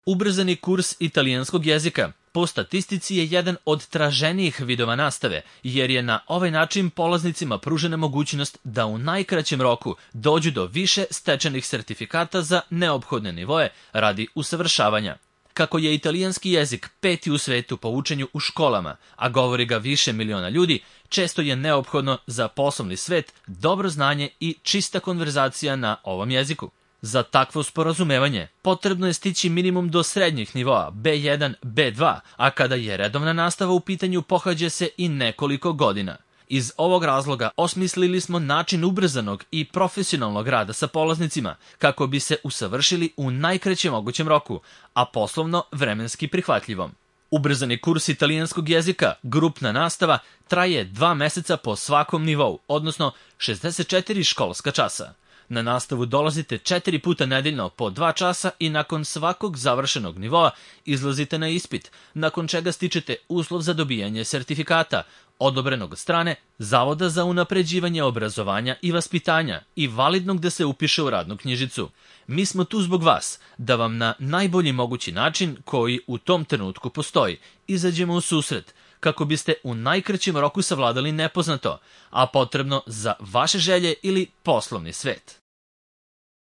Ubrzani kurs italijanskog jezika po statistici je jedan od traženijih vidova nastave, jer je na ovaj način polaznicima pružena mogućnost da u najkraćem roku dođu do više stečenih sertifikata za neophodne nivoe radi usavršavanja. Kako je italijanski jezik 5. u svetu po učenju u školama, a govori ga više miliona ljudi, često je neophodno za poslovni svet dobro znanje i čista konverzacija na ovom jeziku. Za takvo sporazumevanje potrebno je stići minimum do srednjih nivoa B1, B2, a kada je redovna nastava u pitanju pohađa se i nekoliko godina. Iz ovog razloga osmislili smo način ubrzanog i profesionalnog rada sa polaznicima kako bi se usavršili u najkraćem mogućem roku, a poslovno vremenski prihvatljivom. Ubrzani kurs italijanskog jezika, grupna nastava, traje 2 meseca po svakom nivou, odnosno 64 školska časa. Na nastavu dolazite 4 puta nedeljno po 2 časa i nakon svakog završenog nivoa izlazite na ispit, nakon čega stičete uslov za dobijanje sertifikata, odobrenog od strane Zavoda za unapređivanje obrazovanja i vaspitanja i validnog da se upiše u radnu knjižicu. Mi smo tu zbog vas, da vam na najbolji mogući način, koji u tom trenutku postoji, izađemo u susret, kako biste u najkraćem roku savladali nepoznato, a potrebno za vaše želje ili poslovni svet.